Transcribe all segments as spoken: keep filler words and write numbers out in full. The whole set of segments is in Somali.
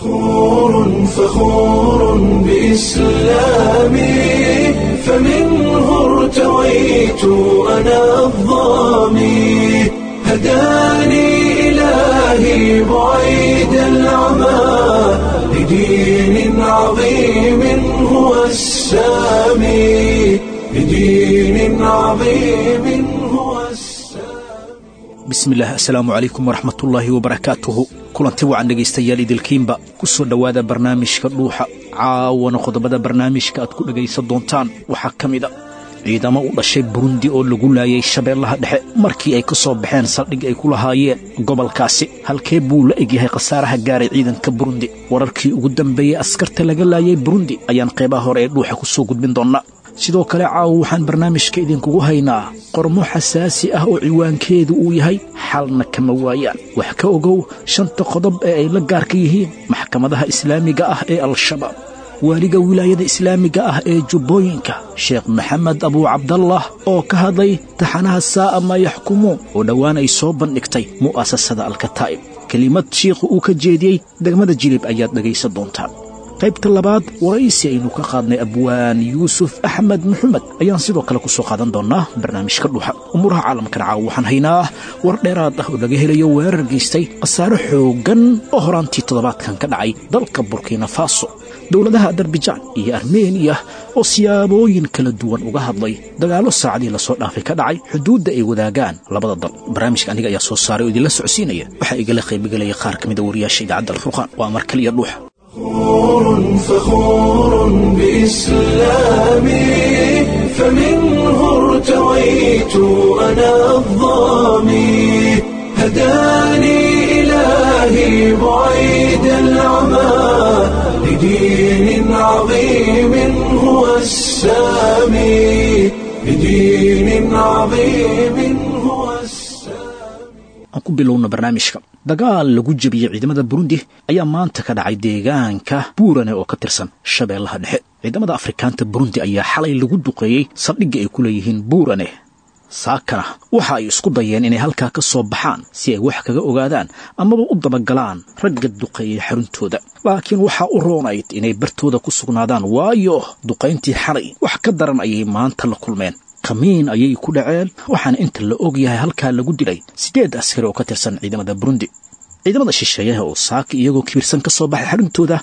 فخور فخور بإسلامي، فمنه ارتويت أنا الظامي، هداني إلهي بعيد العمى لدين عظيم هو السامي، لدين عظيم هو السامي. Bismillaah, assalaamu calaykum waraxmatullaahi wabarakaatuhu. Kulanti wacan dhegaystayaal idilkiinba, ku soo dhowaada barnaamijka Dhuuxa. Caawana qodobada barnaamijka aad ku dhegaysan doontaan waxaa ka mid a ciidamo u dhashay Burundi oo lagu laayay Shabeellaha Dhexe markii ay ka soo baxeen saldhig ay ku lahaayeen gobolkaasi. Halkee buu la egyahay khasaaraha gaaray ciidanka Burundi? Wararkii ugu dambeeyey askarta laga laayay Burundi ayaan qeybaha hore ee Dhuuxa ku soo gudbin doonnaa. Sidoo kale caawa waxaan barnaamijka idinkugu haynaa qormo xasaasi ah oo ciwaankeedu uu yahay "Xalna kama waayaan", wax ka ogow shanta qodob ee ay la gaarka yihiin maxkamadaha islaamiga ah ee Al-Shabaab. Waaliga wilaayada islaamiga ah ee Jubbooyinka, Sheekh Maxamed Abuu Cabdallah, oo ka hadlay taxanaha Saa'a Maa Yaxkumuun oo dhowaan ay soo bandhigtay mu'asasada Alkataa'ib. Kelimad shiikhu uu ka jeediyey degmada Jilib ayaad dhegaysan doontaan. Qaybta labaad, waraysi aynu ka qaadnay abwaan Yuusuf Axmed Maxamed ayaan sidoo kale ku soo qaadan doonnaa barnaamijka Dhuuxa. Umuuraha caalamkana caawa waxaan haynaa war dheeraad ah oo laga helayo weerar geystay khasaare xooggan oo horaantii toddobaadkan ka dhacay dalka Burkina Faso, dowladaha Azerbajaan iyo Armeniya oo siyaabooyin kala duwan uga hadlay dagaallo saacadii lasoo dhaafay ka dhacay xuduudda ay wadaagaan labada dal. Barnaamijka aniga ayaa soo saaray oo idinla socodsiinaya. Waxaa igala qaybgelaya qaar ka mida wariyaasha idaacadda Alfurqaan. Waa mar kaliya Dhuuxa. فخور فخور بإسلامي، فمنه ارتويت أنا الظامي، هداني إلهي بعيد العمى لدين عظيم هو السامي، لدين عظيم هو السامي. Aan ku bilowno barnaamijka. Dagaal lagu jebiyey ciidamada Burundi ayaa maanta ka dhacay deegaanka Buurane oo ka tirsan Shabeellaha Dhexe. Ciidamada Afrikaanta Burundi ayaa xalay lagu duqeeyey saldhigga ay ku leeyihiin Buurane. Saakana waxa ay isku dayeen inay halkaa ka soo baxaan si ay wax kaga ogaadaan amaba u dabagalaan ragga duqeeyey xaruntooda, laakiin waxaa u roonayd inay bartooda ku sugnaadaan, waayo duqayntii xalay wax ka daran ayay maanta la kulmeen. Kamiin ayay ku dhaceen, waxaana inta la og yahay halkaa lagu dilay siddeed askari oo ka tirsan ciidamada Burundi. Ciidamada shisheeyaha oo saaka iyagoo kibirsan ka soo baxay xaruntooda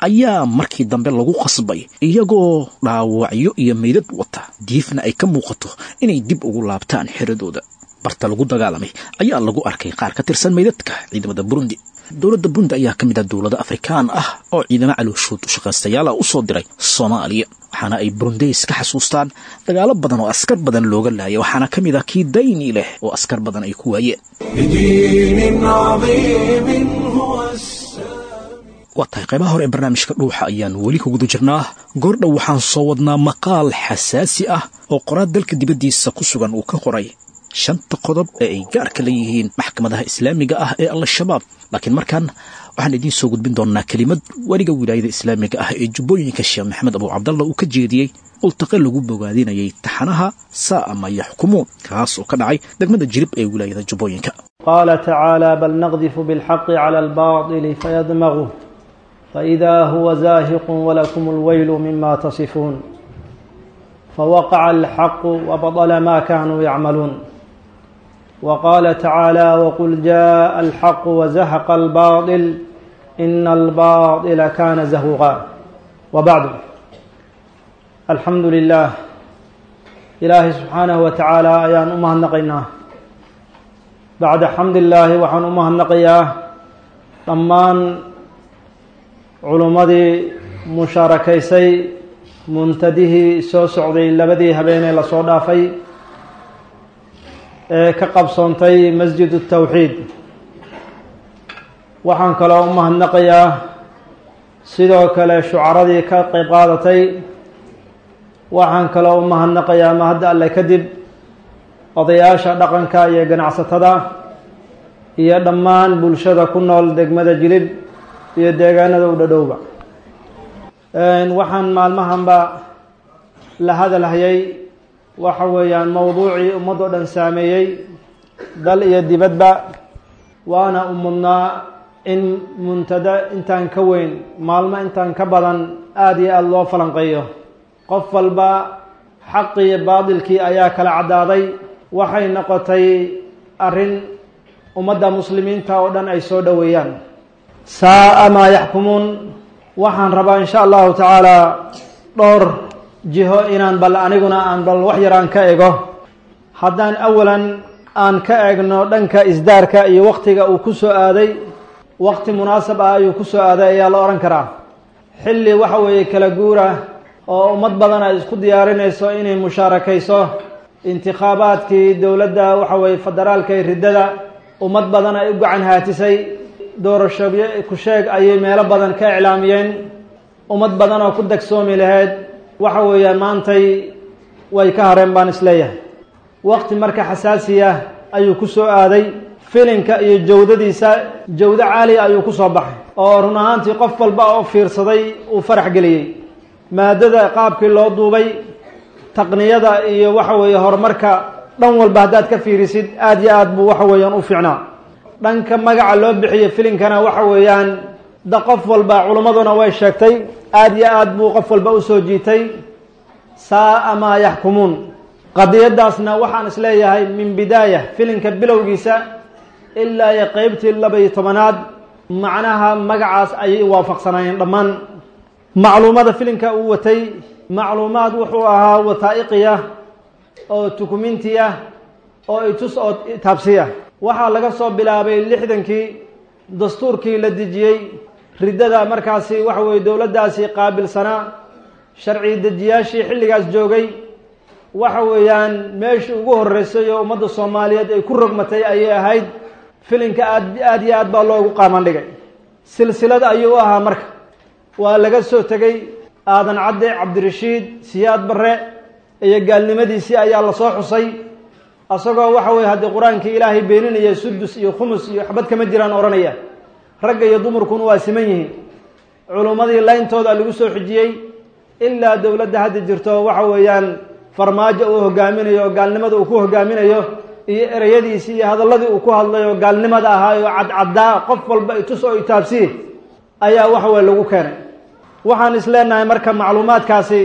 ayaa markii dambe lagu qasbay iyagoo dhaawacyo iyo meydad wata, diifna ay ka muuqato, inay dib ugu laabtaan xeradooda. Barta lagu dagaalamay ayaa lagu arkay qaar ka tirsan meydadka ciidamada Burundi. Dowladda Burundi ayaa ka mid ah dowlado Afrikaan ah oo ciidamo calooshood u shaqaystayaala u soo diray Soomaaliya, waxaana ay Burundeys ka xasuustaan dagaalo badan oo askar badan looga laayay, waxaana ka mid ah kii Dayni leh oo askar badan ay ku waayeen. لدين عظيم هو السامي. Waa tahay, qaybaha hore ee barnaamijka Dhuuxa ayaan weli ku guda jirnaa. Goordhow waxaan soo wadnaa maqaal xasaasi ah oo qoraal dalka dibaddiisa ku sugan uu ka qoray shanta qodob ee ay gaarka leeyihiin maxkamadaha islaamiga ah ee Al-Shabaab, laakiin markan waxaan idiin soo gudbin doonnaa kelimad weliga wilaayada islaamiga ah ee Jubbooyinka, Sheekh Maxamed Abu Cabdalla, uu ka jeediyey ultaqe lagu bogaadinayay taxanaha Saa'a Maa Yaxkumuun, kaas oo ka dhacay degmada Jilib ee wilaayada Jubbooyinka. قال تعالى: بل نقذف بالحق على الباطل فيدمغه فإذا هو زاهق ولكم الويل مما تصفون. فوقع الحق وبطل ما كانوا يعملون. وقال تعالى: وقل جاء الحق وزهق الباطل إن الباطل كان زهوقا. وبعد، الحمد لله، إلهي سبحانه وتعالى ayaan u mahadnaqaynaa. Bacda xamdillaahi, waxaan u mahadnaqayaa dhammaan culummadii mushaarakaysay muntadihii soo socday labadii habeenee lasoo dhaafay ee ka qabsoontay Masjid Tawxiid. Waxaan kaloo u mahadnaqayaa sidoo kale shucaradii ka qeyb qaadatay. Waxaan kaloo u mahadnaqayaa, mahadda Alle kadib, odayaasha dhaqanka iyo ganacsatada iyo dhammaan bulshada ku nool degmada Jilib iyo deegaanada u dhadhowba. Waxaan maalmahanba la hadalhayay waxa weeyaan mowduucii ummad oo dhan saameeyey, dal iyo dibadba, waana u mudnaa In muntada intaan ka weyn, maalmo intaan ka badan, aada iyo aada loo falanqeeyo. Qof walba xaqii baadilkii ayaa kala caddaaday. Waxay noqotay arrin ummadda muslimiinta oo dhan ay soo dhoweeyaan. Saa'a maa yaxkumuun. Waxaan rabaa insha allahu tacaala dhowr jiho inaan bal aniguna aan bal wax yar aan ka ego. Haddaan awalan aan ka eegno dhanka isdaarka iyo waqtiga uu ku soo aaday, waqti munaasab ah ayuu ku soo aaday ayaa la odhan karaa. Xilli waxa weeye kala guura oo ummad badan ay isku diyaarinayso inay mushaarakayso intikhaabaadkii dowladda waxa weeye federaalka iyo riddada, ummad badan ay u gacan haatisay, doorashobyo ku sheeg ayay meelo badan ka iclaamiyeen. Ummad badan oo ku dagsoomi lahayd waxa weeyaan maantay way ka hareen baan isleeyahay. Waqti marka xasaasiya ayuu ku soo aaday. Filinka iyo jawdadiisa jawdo caaliya ayuu ku soo baxay, oo run ahaantii qof walba oo fiirsaday uu farax geliyey. Maadada qaabkii loo duubay, taqniyada iyo waxa weeye horumarka dhan walba haddaad ka fiirisid, aada iyo aad buu waxa weeyaan u fiicnaa. Dhanka magaca loo bixiyey filinkana waxa weeyaan da qof walba, culimmaduna way sheegtay, aada iyo aad buu qof walba usoo jiitay. Saa'a maa yaxkumuun. Qadiyadaasna waxaan isleeyahay min bidaaya filinka bilowgiisa ilaa iyo qeybtii laba-iyo tobanaad macnaha magacaas ayay waafaqsanaayeen dhammaan. Macluumada filinka uu watay macluumaad wuxuu ahaa wataa'iqiya oo tukumintiya oo itus oo taabsiya. Waxaa laga soo bilaabay lixdankii dastuurkii la dejiyey riddada, markaasi waxa weeye dowladdaasi qaabilsanaa sharci dejiyaashii xilligaas joogay. Waxa weeyaan meeshii ugu horreysay oo ummadda Soomaaliyeed ay ku rogmatay ayay ahayd. Filinka aad aad iyo aad baa loogu qaaman dhigay, silsilad ayuu u ahaa. Marka waa laga soo tegey Aadan Cadde, Cabdirashiid, Siyaad Barre iyo gaalnimadiisii ayaa lasoo xusay, isagoo waxa weye haddii qur-aankii Ilaahay beeninaya, sudus iyo khumus iyo xabad kama jiraan odhanaya, ragga iyo dumarkuna waa siman yihiin. Culummadii layntooda lagu soo xijiyey ilaa dowladda hadda jirto waxa weeyaan Farmaajo uu hogaaminayo oo gaalnimada uu ku hogaaminayo, iyo ereyadiisii iyo hadalladii uu ku hadlay oo gaalnimada ahaay oo cadcaddaa, qof walba itus oo itaabsiye ayaa waxa weye lagu keenay. Waxaan isleenahay marka macluumaadkaasi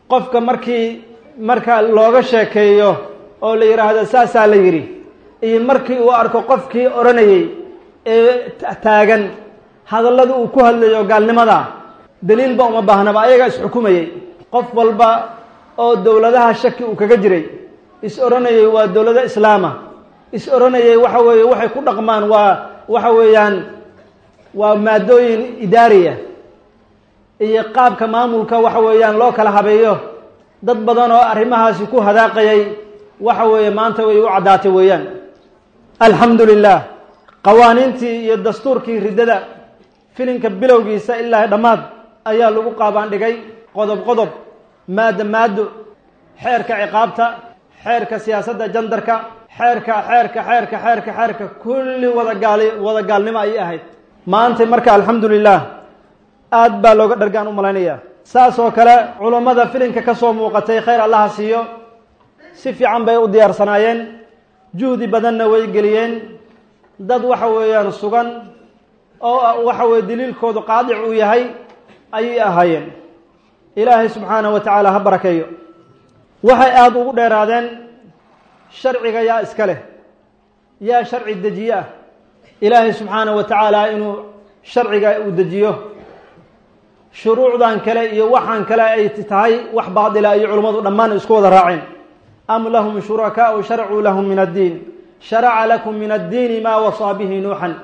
qofka markii marka looga sheekeeyo oo la yidhaahdo saasaa la yidhi, iyo markii uu arko qofkii odhanayey ee taagan hadallada uu ku hadlayo gaalnimada, daliilba uma baahnaba, ayagaa isxukumayey. Qof walba oo dowladaha shaki uu kaga jiray, is odhanayay waa dowlado islaama, is odhanayay waxa weeye waxay ku dhaqmaan waa waxa weeyaan waa maadooyin idaariya iyo qaabka maamulka waxa weeyaan loo kala habeeyo, dad badan oo arrimahaasi ku hadaaqayay waxa weeye maanta way u caddaatay weeyaan. Alxamdu lilah. Qawaaniintii iyo dastuurkii riddada filinka bilowgiisa ilaa dhammaad ayaa lagu qaabaan dhigay, qodob qodob, maaddo maaddo, xeerka ciqaabta, xeerka siyaasadda jandarka, xeerka xeerka xeerka xeerka xeerka, kulli wada gaali wada gaalnimo ayay ahayd. Maanta marka alxamdu lilah aad baa looga dhargaan u malaynaya. Saas oo kale culummada filinka ka soo muuqatay, khayr Allaha siiyo, si fiican bay u diyaarsanaayeen, juhdi badanna way geliyeen. Dad waxa weeyaan sugan oo waxa weye daliilkoodu qaadic uu yahay ayay ahaayeen. Ilaahay subxaanahu wa tacaala ha barakeeyo. Waxay aada ugu dheeraadeen sharciga yaa iska leh, yaa sharci dejiye ah, Ilaahay subxaanahu wa tacaala inuu sharciga uu dejiyo, shuruucdan kale iyo waxaan kale ay tahay wax baadila iyo culummadu dhammaan isku wada raaceen. Am lahum shurakaau sharacuu lahum min addiin, sharaca lakum min addiini maa wasaa bihi Nuuxan.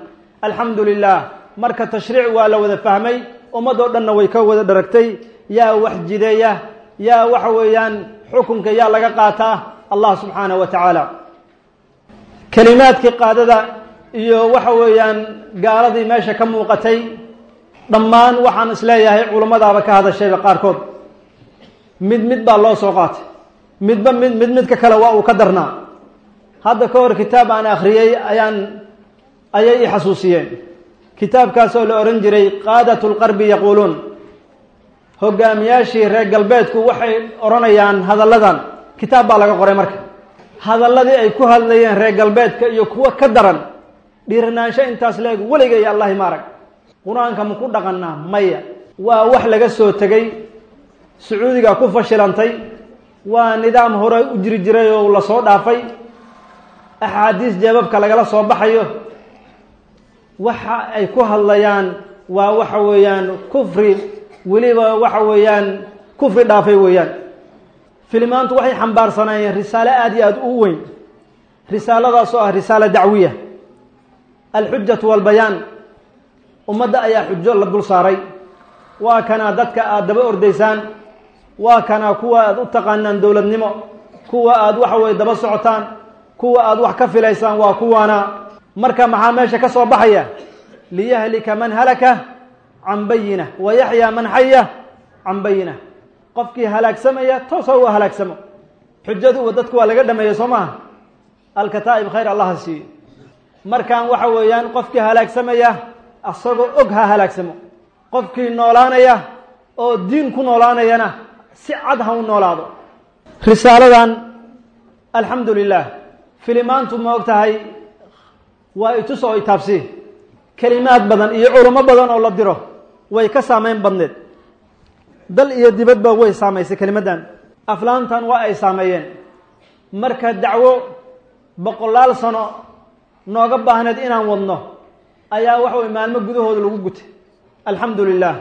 Alxamdu lilah. Marka tashriic waa la wada fahmay, ummadoo dhanna way ka wada dharagtay. Yaa wax jideeya, yaa waxa weeyaan xukunka yaa laga qaataa? Allah subxaanahu wa tacaala. Kelimaadkii qaadada iyo waxa weeyaan gaaladii meesha ka muuqatay dhammaan waxaan isleeyahay culummadaaba ka hadashayba qaarkood. Mid mid baa loo soo qaatay, midba mid mid midka kale waa uu ka darnaa. Hadda ka hor kitaab aan akhriyey ayaan ayay i xasuusiyeen, kitaabkaasoo la odhan jiray Qaadat Lqarbi Yaquuluun, hogaamiyaashii reer galbeedku waxay odhanayaan hadalladan. Kitaab baa laga qoray marka hadalladii ay ku hadlayeen reer galbeedka iyo kuwo ka daran Dhiiranaansho intaas la-eg weligay Allahi ma arag. Qur-aanka ma ku dhaqanaa? Maya. Waa wax laga soo tegey, Sacuudiga ku fashilantay, waa nidaam hore u jiri jiray oo lasoo dhaafay, axaadiis jeebabka lagala soo baxayo. Waxa ay ku hadlayaan waa waxa weeyaan kufri, weliba waxa weeyaan kufri dhaafay weeyaan. Filimaantu waxay xambaarsanayeen risaalo aada iyo aada u weyn, risaaladaas oo ah risaala dacwiya, alxujatu walbayaan. Ummadda ayaa xujo la dul saaray. Waa kanaa dadka aada daba ordaysaan, waa kanaa kuwa aada u taqaanaan dowladnimo, kuwa aada waxa weye daba socotaan, kuwa aada wax ka filaysaan waa kuwaana. Marka maxaa meesha ka soo baxaya? Liyahlika man halaka can bayina wa yaxyaa man xaya can bayina. Qofkii halaagsamaya toosa u halaagsamo. Xujadu dadku waa laga dhameeyey, soo maaha? Alkataa'ib khayr allaha siiyo. Markaan waxa weeyaan qofkii halaagsamaya asagoo og ha halaagsamo, qofkii noolaanaya oo diin ku noolaanayana si cad ha u noolaado. Risaaladan alxamdu lilah filimaantu ma og tahay waa itus oo itaabsi. Kelimaad badan iyo culimo badan oo la diro way ka saameyn badneed, dal iyo dibadba way saamaysay kelimaddan. Aflaantan waa ay saameeyeen. Marka dacwo boqolaal sano nooga baahneed inaan wadno ayaa waxa way maalmo gudahooda lagu gutay, alxamdu lilah.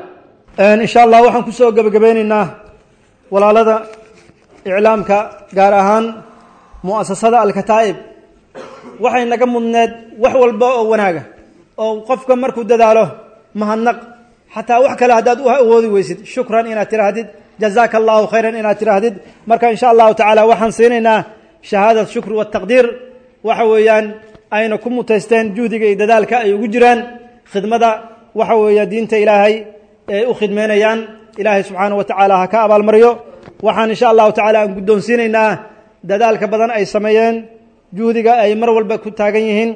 Insha Allah waxaan kusoo gebagabeyneynaa walaalada iclaamka, gaar ahaan mu'asasada Alkataa'ib, waxay naga mudneed wax walba oo wanaaga oo qofka markuu dadaalo mahadnaq, xataa wax kale haddaad u awoodi weysid, shukran inaad tiraahdid, jazaaka allahu khayran inaad tiraahdid. Marka insha allahu tacaala waxaan siinaynaa shahaadat shukr wataqdiir, waxa weeyaan ayna ku mutaysteen juhdiga iyo dadaalka ay ugu jiraan khidmada waxa weeya diinta Ilaahay ee u khidmeynayaan. Ilaahay subxaanahu wa tacaala ha ka abaalmariyo. Waxaan insha allahu tacaala aan guddoonsiinaynaa dadaalka badan ay sameeyeen, juhdiga ay mar walba ku taagan yihiin,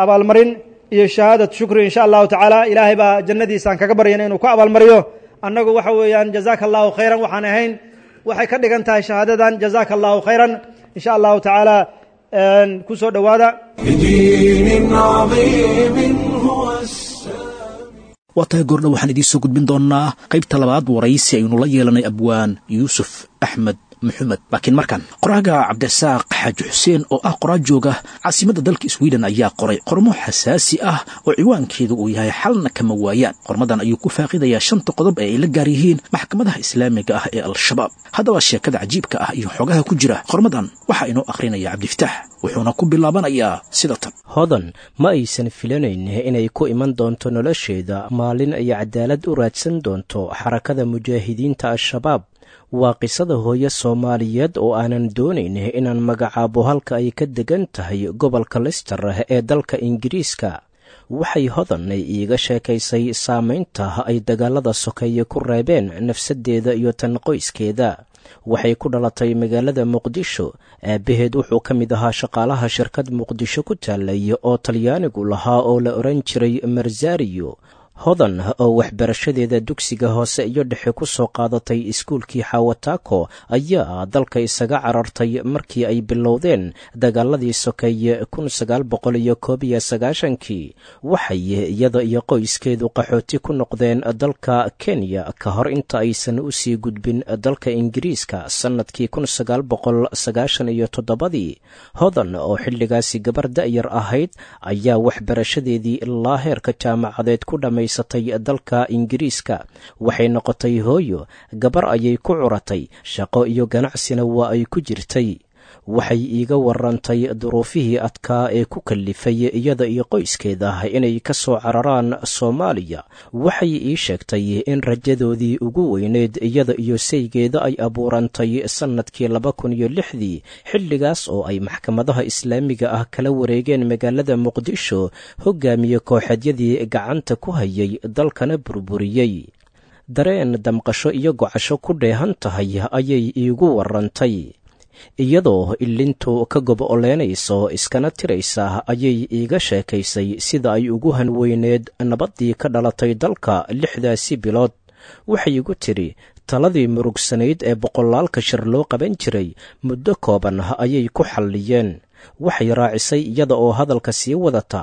abaalmarin iyo shahaadat shukri insha allahu tacaala. Ilaahay baa jannadiisaan kaga baryana inuu ku abaalmariyo. Annagu waxa weeyaan jazaaka allahu khayran waxaan ahayn, waxay ka dhigan tahay shahaadadan jazaaka allahu khayran insha allahu tacaala. Ku soo dhowaada. لدين عظيم هو السامي. Waa tahay, goordha waxaan idiin soo gudbin doonnaa qaybta labaad waraysi aynu la yeelanay abwaan Yuusuf Axmed Maxamed, laakiin markan qoraaga Cabdirasaaq Xaaji Xuseen oo ah qoraa jooga caasimadda dalka Sweden ayaa qoray qormo xasaasi ah oo ciwaankeedu uu yahay Xalna Kama Waayaan. Qormadan ayuu ku faaqidayaa shanta qodob ee ay la gaar yihiin maxkamadaha islaamiga ah ee Al-Shabaab. Haddaba sheekada cajiibka ah iyo xogaha ku jira qormadan waxaa inoo akhrinaya Cabdifataax, wuxuuna ku bilaabanayaa sida tan. Hodan ma aysan filanayn inay ku iman doonto nolosheeda maalin ay cadaalad u raadsan doonto Xarakada Mujaahidiinta Al-Shabaab. Waa qisada hooyo Soomaaliyeed oo aanan doonayn inaan magacaabo halka ay ka degan tahay gobolka Lister ee dalka Ingiriiska. Waxay Hodan iiga sheekaysay saamaynta ay dagaalada sokeeye ku reebeen nafsaddeeda iyo tan qoyskeeda. Waxay ku dhalatay magaalada Muqdisho. Aabbaheed wuxuu ka mid ahaa shaqaalaha shirkad Muqdisho ku taalay oo Talyaanigu lahaa oo la odhan jiray Marzario. Hodan oo waxbarashadeeda dugsiga hoose iyo dhexe ku soo qaadatay iskuulkii Xawataako ayaa dalka isaga carartay markii ay bilowdeen dagaaladii sokeeye kun sagaal boqol iyo koob iyo sagaashankii. Waxay iyada iyo qoyskeedu qaxooti ku noqdeen dalka Kenya ka hor inta aysan u sii gudbin dalka Ingiriiska sannadkii kun sagaal boqol sagaashan iyo toddobadii. Hodan oo xilligaasi gabar da'yar ahayd ayaa waxbarashadeedii ilaa heerka jaamacadeed ku dhammaysatay dalka Ingiriiska. Waxay noqotay hooyo, gabar ayay ku curatay, shaqo iyo ganacsina waa ay ku jirtay. Waxay iiga warantay duruufihii adkaa ee ku kallifay iyada iyo qoyskeeda inay ka soo cararaan Soomaaliya. Waxay ii sheegtay in rajadoodii ugu weyneyd iyada iyo saygeeda ay abuurantay sannadkii laba kun iyo lixdii, xilligaas oo ay maxkamadaha islaamiga ah kala wareegeen magaalada Muqdisho hogaamiye kooxeedyadii gacanta ku hayay dalkana burburiyey. Dareen damqasho iyo gocasho ku dheehan tahay ayay iigu warantay. Iyadoo ilintu ka gob-oleynayso iskana tiraysa ayay iiga sheekaysay sida ay ugu hanweyneed nabaddii ka dhalatay dalka lixdaasi bilood. Waxay igu tidhi taladii murugsanayd ee boqolaalka shir loo qaban jiray muddo kooban ayay ku xalliyeen. Waxay raacisay iyada oo hadalka sii wadata,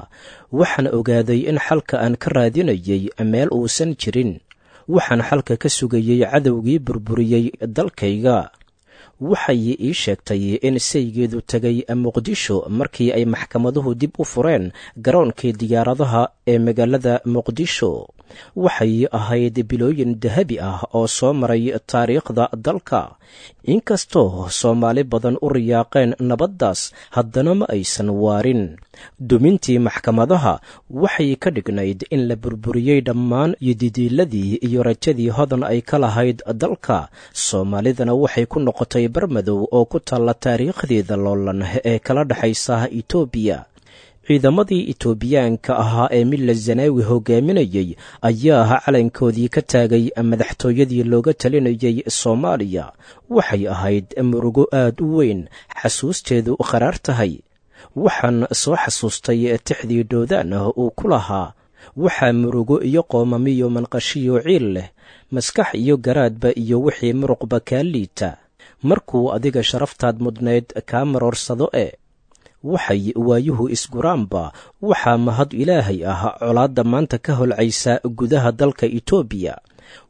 waxaan ogaaday in xalka aan ka raadinayay meel uusan jirin. Waxaan xalka ka sugayey cadowgii burburiyey dalkayga. Waxay ii sheegtay in saygeedu tegay Muqdisho markii ay maxkamaduhu dib u fureen garoonkii diyaaradaha ee magaalada Muqdisho. Waxay ahayd bilooyin dahabi ah oo soo maray taariikhda dalka. Inkastoo Soomaali badan u riyaaqeen nabaddaas, haddana ma aysan waarin. Dumintii maxkamadaha waxay ka dhignayd in la burburiyey dhammaan yididiiladii iyo rajadii Hodan ay ka lahayd dalka. Soomaalidana waxay ku noqotay barmadow oo ku taalla taariikhdeeda loolan ee kala dhexaysa Itoobiya. Ciidamadii Itoobiyaanka ahaa ee Milla Zanaawi hogaaminayey ayaa calankoodii ka taagay madaxtooyadii looga talinayay Soomaaliya. Waxay ahayd murugo aad u weyn, xasuusteedu qaraar tahay. Waxaan soo xasuustay tixdii Dhoodaan uu ku lahaa, waxaa murugo iyo qoomamiyo manqashiyo ciil leh, maskax iyo garaadba iyo wixii muruqba kaa liita, markuu adiga sharaftaad mudnayd kaa maroorsado. E waxay waayuhu isguraanba, waxaa mahad Ilaahay ah colaadda maanta ka holcaysa gudaha dalka Itoobiya.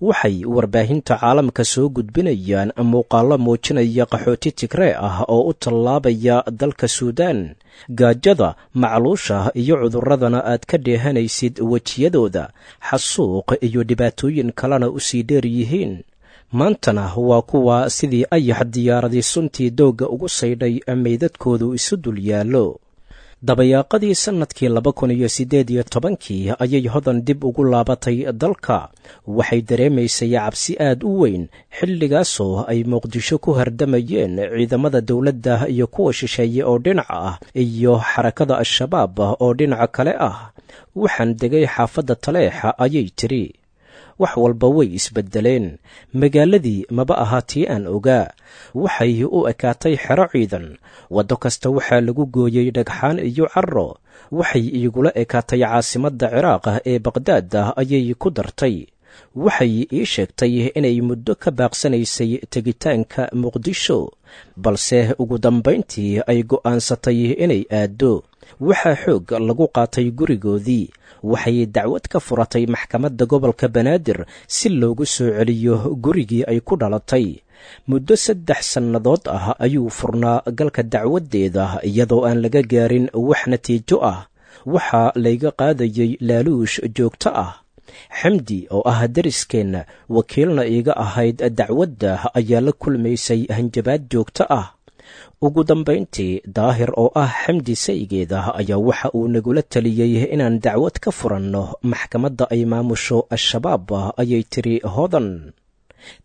Waxay warbaahinta caalamka soo gudbinayaan muuqaallo muujinaya qaxooti Tigree ah oo u tallaabaya dalka Suudaan. Gaajada, macluusha iyo cudurradana aad ka dheehanaysid wejiyadooda, xasuuq iyo dhibaatooyin kalena u sii dheer yihiin. Maantana waa kuwa sidii ayax diyaaradii suntii doogga ugu saydhay meydadkoodu isu dul yaallo. Dabayaaqadii sannadkii laba kun iyo siddeed iyo tobankii ayay Hodan dib ugu laabatay dalka. Waxay dareemaysay cabsi aad u weyn xilligaasoo ay Muqdisho ku hardamayeen ciidamada dowladda iyo kuwa shisheeye oo dhinaca ah iyo xarakada Al-Shabaab oo dhinaca kale ah. Waxaan degay xaafadda Taleexa, ayay tiri. Wax walba way isbeddeleen. Magaaladii maba aha tii aan ogaa. Waxay u ekaatay xero ciidan. Waddo kasta waxaa lagu gooyey dhagxaan iyo carro. Waxay iigula ekaatay caasimadda Ciraaq ee Baqhdaad, ayay ku dartay. Waxay ii sheegtay inay muddo ka baaqsanaysay tegitaanka Muqdisho, balse ugu dambayntii ay go'aansatay inay aaddo. Waxaa xoog lagu qaatay gurigoodii. Waxay dacwad ka furatay maxkamadda gobolka Banaadir si loogu soo celiyo gurigii ay ku dhalatay. Muddo saddex sannadood ah ayuu furnaa galka dacwaddeeda iyadoo aan laga gaarin wax natiijo ah. Waxaa layga qaadayay laaluush joogto ah. Xamdi oo ah dariskeenna, wakiilna iiga ahayd dacwadda, ayaa la kulmaysay hanjabaad joogto ah. Ugu dambayntii, Daahir oo ah Xamdi saygeeda ayaa waxa uu nagula taliyey inaan dacwad ka furanno maxkamadda ay maamusho Al-Shabaab, ayay tiri Hodan.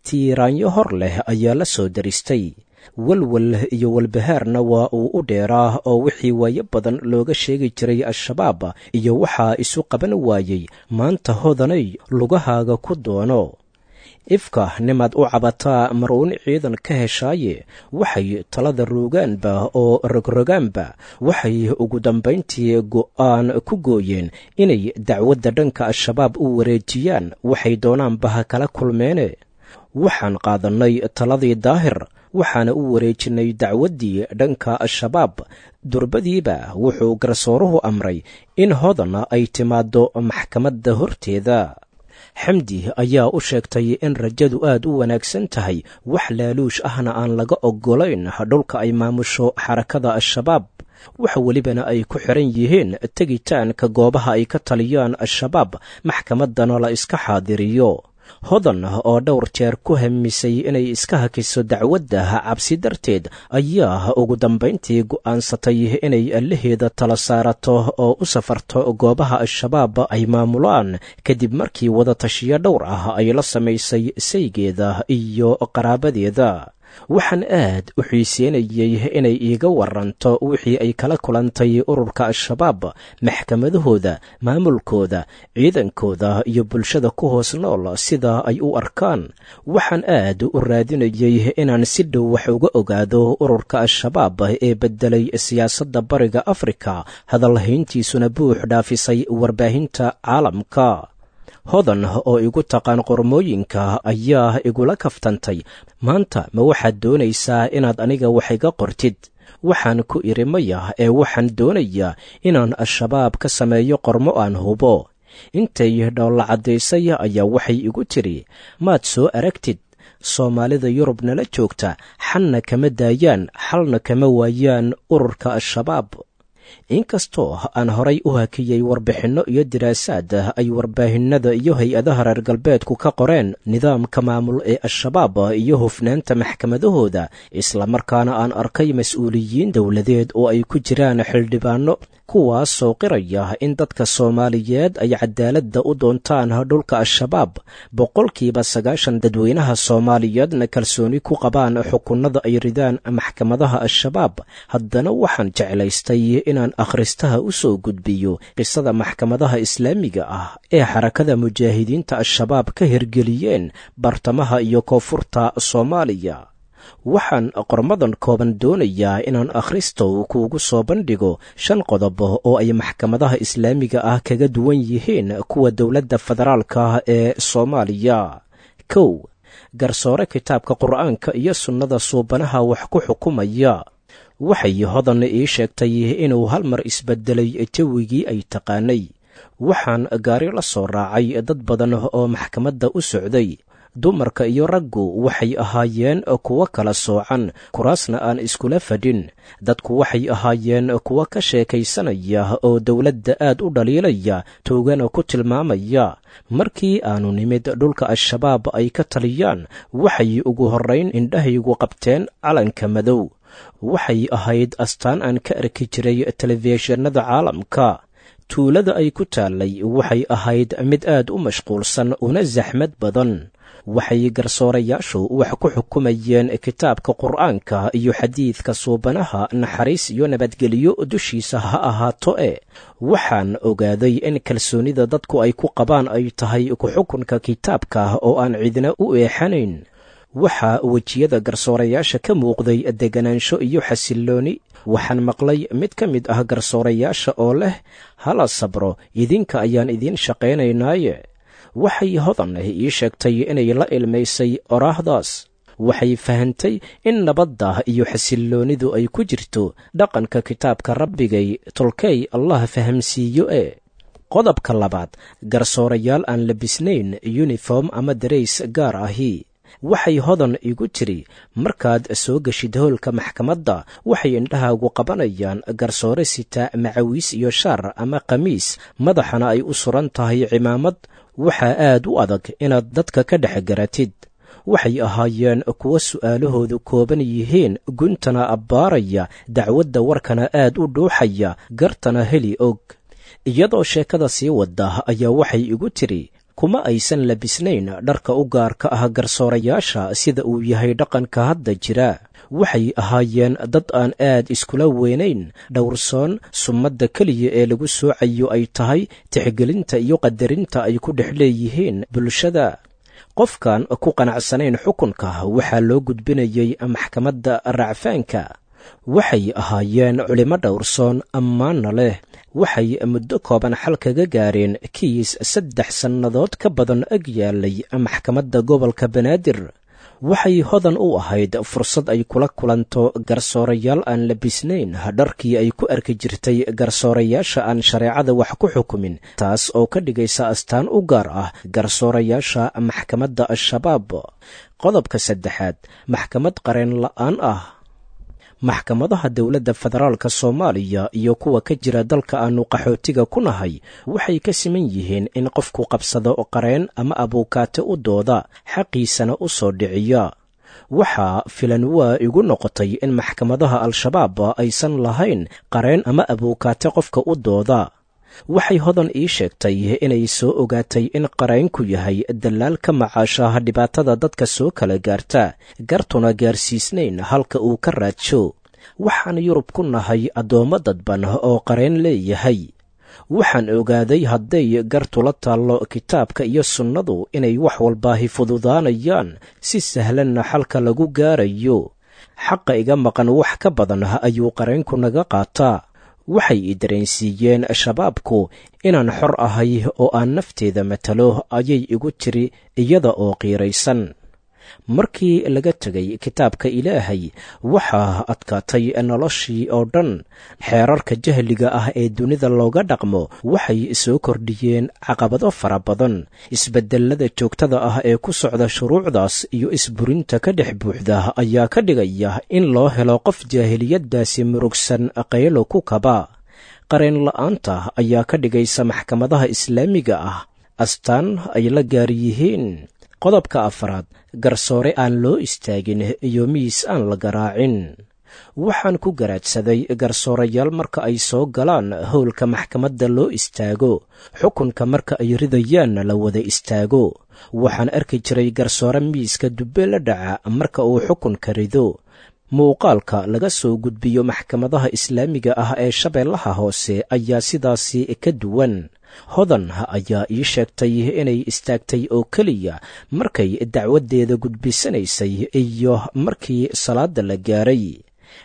Tiiraanyo hor leh ayaa la soo daristay. Walwal iyo walbahaarna waa uu u dheeraa, oo wixii waayo badan looga sheegi jiray Al-Shabaab iyo waxaa isu qaban waayey maanta Hodanay lugahaaga ku doono. Ifka nimaad u cabataa maruun ciidan ka heshaaye. Waxay talada roogaanba oo rogrogaanba, waxay ugu dambayntii go'aan ku gooyeen inay dacwadda dhanka Al-Shabaab u wareejiyaan, waxay doonaanba ha kala kulmeene. Waxaan qaadannay taladii Daahir, waxaana u wareejinnay dacwaddii dhanka Al-Shabaab. Durbadiiba wuxuu garsooruhu amray in Hodan ay timaaddo maxkamadda horteeda. Xamdi ayaa u sheegtay in rajadu aad u wanaagsan tahay, wax laaluush ahna aan laga oggolayn dhulka ay maamusho xarakada Al-Shabaab, wax welibana ay ku xiran yihiin tegitaanka goobaha ay ka taliyaan Al-Shabaab, maxkamaddana la iska xaadiriyo. Hodan oo dhowr jeer ku hamisay inay iska hakiso dacwadda cabsi darteed ayaa ugu dambayntii go'aansatay inay allaheeda tala saarato oo u safarto goobaha Al-Shabaab ay maamulaan, kadib markii wadatashiyo dhowr ah ay la samaysay saygeeda iyo qaraabadeeda. Waxaan aad u xiiseynayey inay iiga waranto wixii ay kala kulantay ururka Al-Shabaab, maxkamadahooda, maamulkooda, ciidankooda iyo bulshada ku hoos nool sida ay u arkaan. Waxaan aad u raadinayey inaan si dhow wax uga ogaado ururka Al-Shabaab ee beddelay siyaasadda Bariga Afrika, hadalhayntiisuna buux dhaafisay warbaahinta caalamka. Hodan oo igu taqaan qormooyinka ayaa igula kaftantay, maanta ma waxaad doonaysaa inaad aniga wax iga qortid? Waxaan ku idhi maya, ee waxaan doonayaa inaan Al-Shabaab ka sameeyo qormo aan hubo. Intay dhoolla caddaysay ayaa waxay igu tidhi, maad soo aragtid Soomaalida Yurub nala joogta, xanna kama daayaan, xalna kama waayaan ururka Al-Shabaab. Inkastoo aan horay u hakiyey warbixinno iyo diraasaad ay warbaahinada iyo hay-adaha reer galbeedku ka qoreen nidaamka maamul ee Al-Shabaab iyo hufnaanta maxkamadahooda, islamarkaana aan arkay mas-uuliyiin dowladeed oo ay ku jiraan xildhibaano kuwaasoo qiraya in dadka Soomaaliyeed ay cadaaladda u doontaan dhulka Al-Shabaab, boqolkiiba sagaashan dadweynaha Soomaaliyeedna kalsooni ku qabaan xukunnada ay ridaan maxkamadaha Al-Shabaab, haddana waxaan jeclaystay inaan akhristaha u soo gudbiyo qisada maxkamadaha islaamiga ah ee Xarakada Mujaahidiinta Al-Shabaab ka hirgeliyeen bartamaha iyo koonfurta Soomaaliya. Waxaan qormadan kooban doonayaa inaan akhristow kuugu soo bandhigo shan qodob oo ay maxkamadaha islaamiga ah kaga duwan yihiin kuwa dowladda federaalka ee Soomaaliya. Kow, garsoore kitaabka Qur'aanka iyo sunnada suubanaha wax ku xukumaya. Waxay Hodan ii sheegtay inuu hal mar isbedelay jawigii ay taqaanay. Waxaan gaari la soo raacay dad badan oo maxkamadda u socday. Dumarka iyo raggu waxay ahaayeen kuwo kala soocan, kuraasna aan iskula fadhin. Dadku waxay ahaayeen kuwo ka sheekaysanaya oo dowladda aad u dhaliilaya, toogana ku tilmaamaya. Markii aanu nimid dhulka Al-Shabaab ay ka taliyaan, waxay ugu horrayn indhahaygu qabteen calanka madow. Waxay ahayd astaan aan ka arki jiray telefishinada caalamka. Tuulada ay ku taallay waxay ahayd mid aad u mashquulsan una saxmad badan. Waxay garsoorayaashu wax ku xukumayeen kitaabka Qur'aanka iyo xadiidka suubanaha, naxariis iyo nabadgelyo dushiisa ha ahaato. E waxaan ogaaday in kalsoonida dadku ay ku qabaan ay tahay ku-xukunka kitaabka oo aan cidna u eexanayn. Waxaa wejiyada garsoorayaasha ka muuqday deganaansho iyo xasillooni. Waxaan maqlay mid ka mid ah garsoorayaasha oo leh, hala sabro, idinka ayaan idiin shaqaynaynaaye. Waxay Hodan ii sheegtay inay la ilmaysay oraahdaas. Waxay fahantay in nabadda iyo xasilloonidu ay ku jirto dhaqanka kitaabka Rabbigay. Tolkey Allah fahamsiiyo. E qodobka labaad, garsoorayaal aan labisnayn yuniform ama darays gaar ahi. Waxay Hodan igu tiri, markaad soo geshid howlka maxkamadda, waxay indhahaagu qabanayaan garsoore sita macawiis iyo shaar ama khamiis, madaxana ay u suran tahay cimaamad. Waxaa aad u adag inaad dadka ka dhex garatid. Waxay ahaayeen kuwo su'aalahoodu kooban yihiin, guntana abbaaraya dacwadda, warkana aad u dhuuxaya, gartana heli og. Iyadoo sheekada sii wadda ayaa waxay igu tiri, kuma aysan labisnayn dharka u gaarka ah garsoorayaasha sida uu yahay dhaqanka hadda jira. Waxay ahaayeen dad aan aad iskula weynayn, dhowrsoon, sumadda keliya ee lagu soocayo ay tahay tixgelinta iyo qadarinta ay ku dhex leeyihiin bulshada. Qofkan ku qanacsanayn xukunka waxaa loo gudbinayay maxkamadda racfaanka. Waxay ahaayeen culimo dhowrsoon, ammaanna leh. Waxay muddo kooban xal kaga gaareen kiis saddex sannadood ka badan ag yaalay maxkamadda gobolka Banaadir. Waxay Hodan u ahayd fursad ay kula kulanto garsoorayaal aan labisnayn dharkii ay ku arki jirtay garsoorayaasha aan shareecada wax ku xukumin, taas oo ka dhigaysa astaan u gaar ah garsoorayaasha maxkamadda Al-Shabaab. Qodobka saddexaad, maxkamad qareen la'aan ah. Maxkamadaha dowladda federaalka Soomaaliya iyo kuwa ka jira dalka aanu qaxootiga ku nahay waxay ka siman yihiin in qofku qabsado qareen ama abuukaate u dooda, xaqiisana u soo dhiciya. Waxaa filan waa igu noqotay in maxkamadaha Al-Shabaab aysan lahayn qareen ama abuukaate qofka u dooda. Waxay Hodan ii sheegtay inay soo ogaatay in qareenku yahay dalaal ka macaashaha dhibaatada dadka soo kala gaarta, gartuna gaarsiisnayn halka uu ka raadsho. Waxaan Yurub ku nahay addoommo dadban oo qareen leeyahay. Waxaan ogaaday hadday gartu la taallo kitaabka iyo sunnadu inay wax walbaahi fududaanayaan, si sahlanna xalka lagu gaarayo. Xaqa iga maqan wax ka badan ayuu qareenku naga qaataa. Waxay i dareensiiyeen Shabaabku inaan xor ahay oo aan nafteeda matalo, ayay igu tiri iyada oo qiiraysan. Markii laga tegay kitaabka Ilaahay, waxaa adkaatay noloshii oo dhan. Xeerarka jahliga ah ee dunida looga dhaqmo waxay soo kordhiyeen caqabado fara badan. Isbedelada joogtada ah ee ku socda shuruucdaas iyo isburinta ka dhex buuxda ayaa ka dhigaya in loo helo qof jaahiliyaddaasi murugsan qaylo ku kaba. Qareen la'aanta ayaa ka dhigaysa maxkamadaha islaamiga ah astaan ay la gaar yihiin. Qodobka afraad, garsoore aan loo istaagin iyo miis aan la garaacin. Waxaan ku garaadsaday garsoorayaal marka ay soo galaan howlka maxkamadda loo istaago, xukunka marka ay ridayaanna la wada istaago. Waxaan arki jiray garsoore miiska dubbe la dhaca marka uu xukunka rido. Muuqaalka laga soo gudbiyo maxkamadaha islaamiga ah ee Shabeellaha Hoose ayaa sidaasi ka duwan. Hodan ayaa ii sheegtay inay istaagtay oo keliya markay dacwaddeeda gudbisanaysay iyo markii salaadda la gaaray.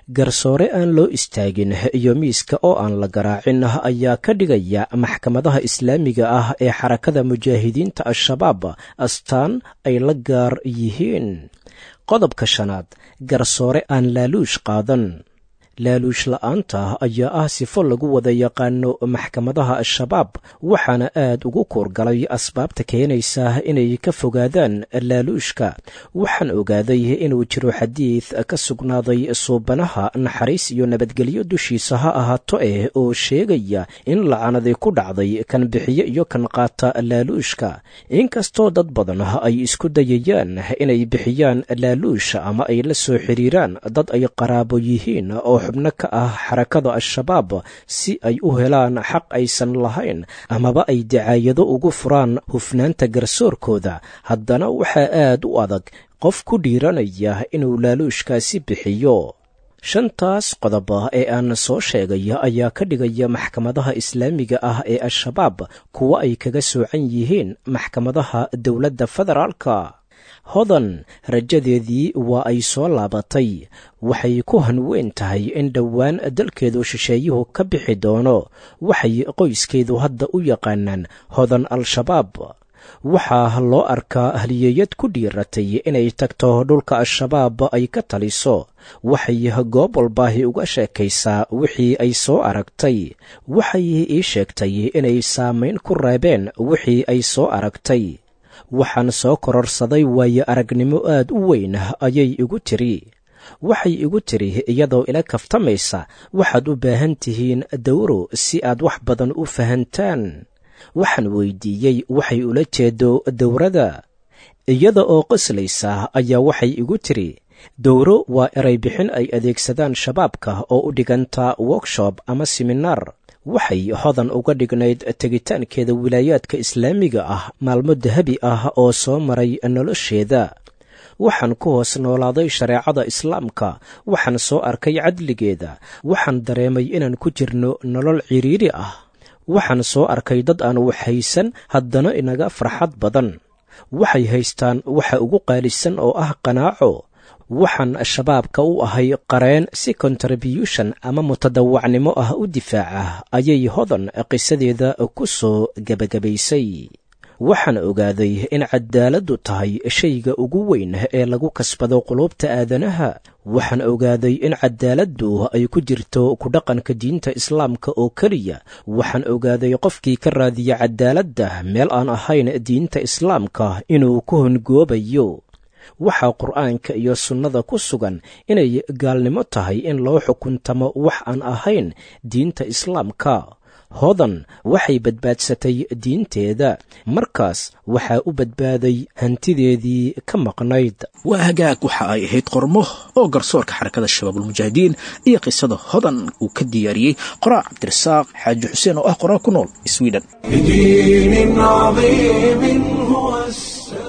Garsoore aan loo istaagin iyo miiska oo aan la garaacin ayaa ka dhigaya maxkamadaha islaamiga ah ee Xarakada Mujaahidiinta Al-Shabaab astaan ay la gaar yihiin. Qodobka shanaad, garsoore aan laaluush qaadan. Laaluush la'aanta ayaa ah sifo lagu wada yaqaano maxkamadaha Al-Shabaab, waxaana aad ugu kuurgalay asbaabta keenaysa inay ka fogaadaan laaluushka. Waxaan ogaaday inuu jiro xadiid ka sugnaaday suubanaha, naxariis iyo nabadgelyo dushiisa ha ahaato eh, oo sheegaya in lacanadi ku dhacday kan bixiyo iyo kan qaata laaluushka. Inkastoo dad badan ay isku dayayaan inay bixiyaan laaluush ama ay la soo xiriiraan dad ay qaraabo yihiin oo xubno ka ah Xarakada Al-Shabaab si ay u helaan xaq aysan lahayn amaba ay dacaayado ugu furaan hufnaanta garsoorkooda, haddana waxaa aad u adag qof ku dhiiranaya inuu laaluushkaasi bixiyo. Shantaas qodob ee aan soo sheegay ayaa ka dhigaya maxkamadaha islaamiga ah ee Al-Shabaab kuwa ay kaga soocan yihiin maxkamadaha dowladda federaalka. Hodan rajadeedii waa ay soo laabatay. Waxay ku hanweyn tahay in dhowaan dalkeedu shisheeyuhu ka bixi doono. Waxay qoyskeedu hadda u yaqaanaan Hodan Al-Shabaab. Waxaa loo arkaa halyeeyad ku dhiiratay inay tagto dhulka Al-Shabaab ay ka taliso. Waxay goob walbaahi uga sheekaysaa wixii ay soo aragtay. Waxay ii sheegtay inay saamayn ku reebeen wixii ay soo aragtay. Waxaan soo kororsaday waayo aragnimo aad u weyn, ayay igu tiri. Waxay igu tiri iyadoo ila kaftamaysa, waxaad u baahan tihiin dawro si aad wax badan u fahantaan. Waxaan weydiiyey waxay ula jeedo dowrada. Iyada oo qoslaysa ayaa waxay igu tiri, dowro waa eray bixin ay adeegsadaan shabaabka oo u dhiganta workshop ama siminaar. Waxay Hodan uga dhignayd tegitaankeeda wilaayaadka islaamiga ah maalmo dahabi ah oo soo maray nolosheeda. Waxaan ku hoos noolaaday shareecada islaamka, waxaan soo arkay cadligeeda, waxaan dareemay inaan ku jirno nolol ciriiri ah. Waxaan soo arkay dad aan wax haysan haddana inaga farxad badan. Waxay haystaan waxa ugu qaalisan oo ah qanaaco. Waxaan shabaabka u ahay qareen si contribution ama mutadawacnimo ah u difaaca, ayay Hodan qisadeeda ku soo gebagabaysay. Waxaan ogaaday in cadaaladdu tahay shayga ugu weyn ee lagu kasbado quluubta aadanaha. Waxaan ogaaday in cadaaladdu ay ku jirto ku dhaqanka diinta islaamka oo keliya. Waxaan ogaaday qofkii ka raadiya cadaaladda meel aan ahayn diinta islaamka inuu ku hongoobayo. Waxaa Qur'aanka iyo sunnada ku sugan inay gaalnimo tahay in loo xukuntamo wax aan ahayn diinta islaamka. Hodan waxay badbaadsatay diinteeda, markaas waxaa u badbaaday hantideedii ka maqnayd. Waa hagaag, waxa ay ahayd qormo oo garsoorka Xarakada Shabaabulmujaahidiin iyo qisada Hodan uu ka diyaariyey qoraa Cabdirasaaq Xaaji Xuseen oo ah qoraa ku nool Sweden. لدين عظيم هو السامي.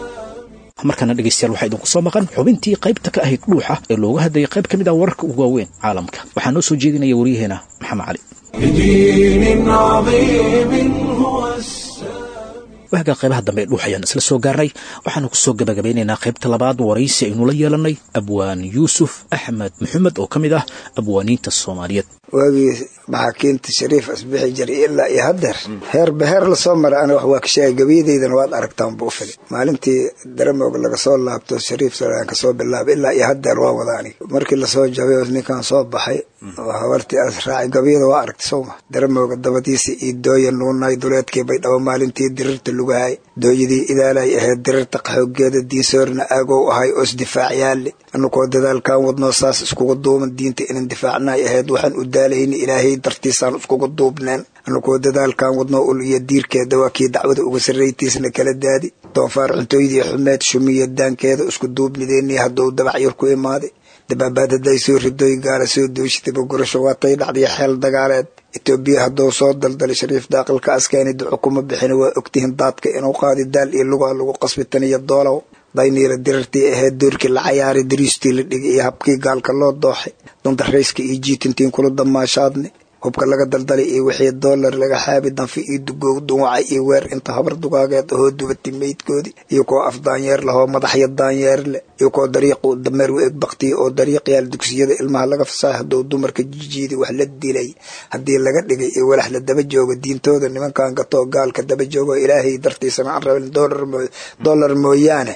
Markaana dhegaystayaal, waxaa idinku soo maqan xubintii qaybta ka ahayd dhuuxa ee looga hadlayay qayb ka mid ah wararka ugu waaweyn caalamka. Waxaa noo soo jeedinaya waryaheena Maxamed Cali. لدين عظيم هو السامي. Waagaa qaybaha dambe ee dhuux ayaan isla soo gaarnay. Waxaanu kusoo gabagabeynaynaa qaybta labaad waraysi aynu la yeelanay abwaan Yuusuf Axmed Maxamed oo ka mid ah abwaaniinta Soomaaliyeed. Waagii maxaakiinta Shariif asbixi jiray ilaa iyo haddeer heerba heer lasoo mara ana wax waa ka sheegay, gabayadeydana waad aragtaan buu fili. Maalintii Daramoog laga soo laabto Shariif Salaan kasoo bilaabay ilaa iyo haddeer waa wada aniga. Markii lasoo jabay oo ninkan soo baxay oo habartii as raacay, gabayada waa aragtay sowma. Daramooga dabadiisa iyo dooya nuunay duleedkii bay dhabo maalintii dirirta lugahay, dooyadii idaalay ahayd dirirta qaxoogeeda, diinsoorna aagow ahay oo isdifaacyaale. Anukoo dadaalkan wadnoo saas iskugu duuban diinta inan difaacnay ahayd, waxaan u daalayna Ilaahay dartiisaan iskugu duubneen. Anukoo dadaalkan wadnoo ul iyo diirkeeda waa kii dacwada uga sarraytiisna kala daadi. Doonfaar cuntooydii xumeed shumiya daankeeda isku duubnideennii hadduu dabac yar ku imaaday. Dabaabaad hadday soo ridoy gaala soo dooshitaba gurasho waatay dhacday xeel dagaaleed. Itoobiya hadduu soo daldalay Shariif daaqilka askeeni duco kuma bixina, waa ogtihin daadka inuu qaadi daal iyo lugaa lagu qasbi tan iyo doolow. Dayniila dirartii ahayd doorkii la cayaaray, dariistii la dhigay iyo habkii gaalka loo dooxay, dundarayska iyo jiitintiin kula damaashaadne. Hubka laga daldalay iyo wixii doolar laga xaabi, danfi iyo dugoog dunwaca iyo weer inta habar dugaageed ahoo dubatay meydkoodii, iyo kuwa af daanyeer lahoo madaxya daanyeer leh, iyo kuwa dariiqu dameer u eg baktiya oo dariiqyaal dugsiyada ilmaha laga fasahay hadduu dumarka jijiiday wax la dilay haddii laga dhigay iyo walax la daba joogo diintooda nimankan gatoo gaalka daba joogo Ilaahay dartiisana aan rabin doolar mooy doolar mooyaane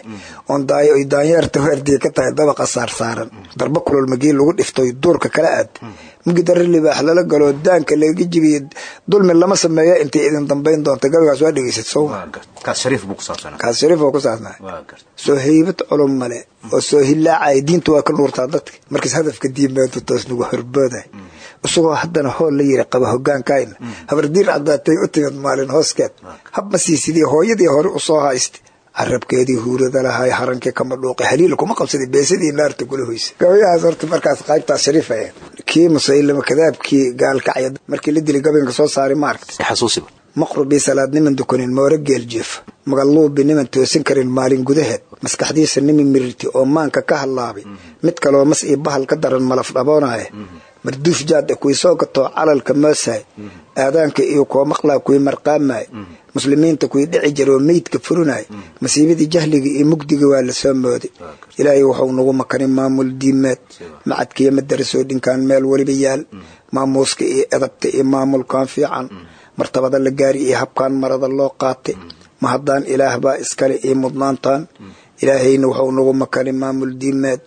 oon daayo ay daanyeerta weerdii ka tahay dabaqa saarsaaran darba kulul magii lagu dhiftoy duurka kala aad mugi darri libaax lala galo daanka laga jibiyo dulmi lama sameeyo intay idin dambayn doonta. Gabaygaas waa dhegeysat sowma? Kaas Shariif buu ku saabsanaa. Kaas Shariif oo ku saabsanaa. Soo haybad culum male oo soo hilaacaya diinta waa ka nuurtaa dadka markaas hadafka diimeedu toos nagu horbooday isagoo haddana hool la yiri qaba hogaankayna habardiir caddaatay u timid maalin hooskeed hab ma siisidii hooyadii hore u soo haystay carabkeedii huurada lahay harankii kama dhuuqay haliil kuma qabsaday beesadii naarta kula hoysay. Gabayahaas horta markaas qaybtaas Shariif ahayd. Kii Musaylama kadaabkii gaalkacya markii la dilay gabaynka soo saaray ma aragtay? Xasuusiba. Maqrubii salaad niman dukanin moore geel jiifa, magaluubi niman toosin karin maalin gudaheed, maskaxdiisa nimi mirirti oo maanka ka hallaabay, mid kaloo mas iyo bahal ka daran malaf dhaboonaya, marduuf jaad e kuwii soo gatoo calalka moosaay, aadaanka iyo kuwa maqlaa kuwii marqaamaya, muslimiinta kuwii dhici jira oo meydka furinaya, masiibadii jahliga iyo mugdiga waa la soo mooday. Ilaahay wuxuu nagu makanin maamul diimeed macadkiiyo madarasoo dhinkaan meel weliba yaal, maamuuska iyo edabta iyo maamulkan fiican, martabada la gaari iyo habkaan marada loo qaatay, ma haddaan Ilaah baa iskale iyo mudnaantaan. Ilaahayna wuxuu nagu makanin maamul diimeed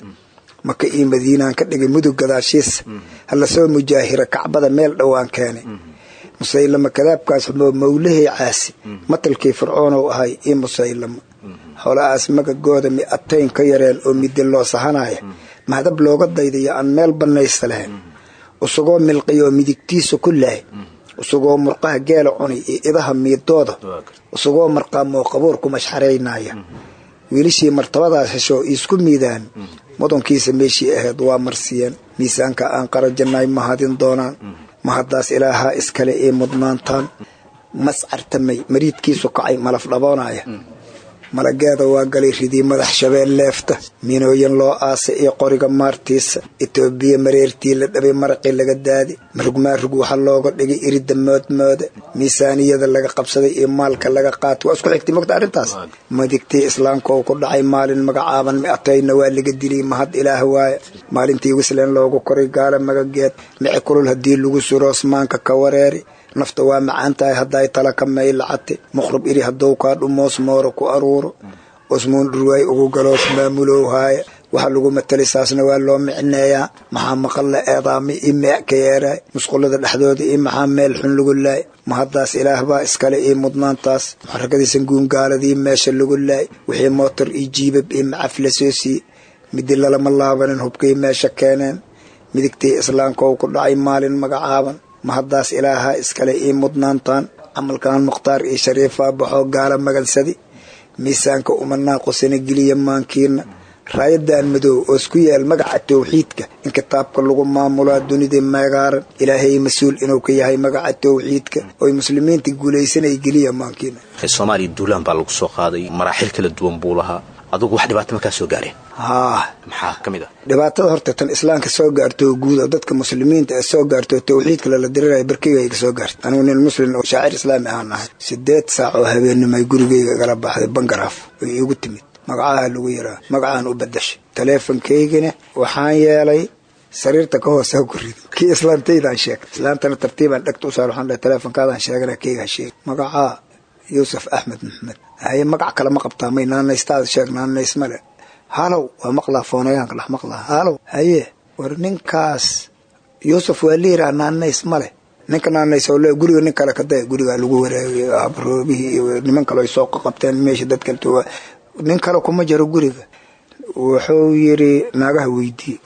Maka iyo Madiinaan ka dhigay mudug gadaashiisa, hala soo mujaahira Kacbada meel dhowaan keenay. Musaylama kadaabkaas mawlahey caasi matalkii Fircoonow ahay iyo Musaylama xoolahaas magagooda mi-atayn ka yareen oo midi loo sahanaya mahadab looga daydayo aan meel banaysta lahayn, isagoo milqiyoo midigtiisa ku lahay, isagoo murqaha geela cunay iyo idaha miidooda, isagoo marqaamoo qabuur ku mashxaraynaya. Wiilishii martabadaas heshoo iisku miidaan mudankiisa meeshii ahayd waa marsiiyeen. Miisaanka aan qarajannay mahadin doonaan, mahaddaas Ilaahaa iskale ii mudnaantaan. Mas cartamay mariidkiisu kacay malaf dhaboonaya, malageeda waa galay ridii madax shabeel leefta, minooyin loo aasay iyo qoriga maartiisa. Itoobiya mareertii la dhabay maraqii laga daadi, marugmaarug waxaa looga dhigay irida moodmooda, miisaaniyada laga qabsaday iyo maalka laga qaatay. Waa isku xigtay mogta arrintaas. Madigtii islaamka oo ku dhacay maalin magacaaban mi-atayna waa laga dilay, mahad Ilaah waaye. Maalintii wisleen loogu koray gaala magageed, mici kulul haddii lagu suro osmaanka ka wareeri. Nafta waa macaan tahay hadday tala ka maylacate, muqrub iri hadduu kaa dhumoos mooro ku aruuro, osmuun dhurwaay ugu galoos maamulow haaya. Waxaa lagu matalay saasna waa loo micneeyaa. Maxaa maqal la eedaamay io meec ka yeeraay musqulada dhexdooda iyo maxaa meel xun lagu laay, mahaddaas Ilaah baa iskale iyo mudnaantaas. Muxarakadiisan guungaaladii meesha lagu laay, wixii mootor iyo jiibab iyo macaf la soo siiyey, midi lalama laabanin hubkay meesha keeneen. Midigtii islaamka oo ku dhacay maalin magacaaban, mahaddaas Ilaaha iskale ii mudnaantaan. Camalkan Mukhtaar iyo Shariifaa baxoo gaala magansadi, miisaanka uma naaqusina geliya maankiina. Raayadan madow oo isku yaal magaca towxiidka in kitaabka lagu maamulaa dunida meegaaran, Ilaahay mas-uul inuu ka yahay magaca towxiidka oy muslimiinta guulaysanay geliya maankiina. Soomaaliya duulaan baa lagu soo qaaday, maraaxil kala duwan buu lahaa. Adugu wax dhibaato ma kaa soo gaareen? Haa. Maxaa ka mid ah dhibaatada? Horta tan islaamka soo gaarto guud oo dadka muslimiinta ee soo gaarto tawxiidka lala dirirayo barkeyga iga soo gaartay. Anigu nin muslim oo shaacir islaami ahaan ahay. Sideed saac oo habeenimay gurigeyga igala baxday bangaraaf oo iigu timid. Magacaha lagu yiraa magacaan u badashay taleefonkaygina waxaan yeelay sariirta ka hoose ha ku rido kii islaantaydaan sheegay. Islaantana tartiibaan dhegta u saar, waxaan dhahay taleefonkaadaan sheegana keyga ha sheeg. Magacaa Yuusuf Axmed Maxmed. Haye, magac kale ma qabtaa? May naanaystaada sheeg. Naanays male. Halow, waa maqlaa foonayaanka dhex maqlaa. Halow, haye, war ninkaas Yuusuf waa liiraa, naanays male. Ninka naanays oo le guriga nin kale ka daya. Gurigaa lagu wareegay habroobihii iyo niman kale ay soo qabteen meesha dad kale, nin kale kuma jiro guriga. Wuxuu yiri naagaha weydii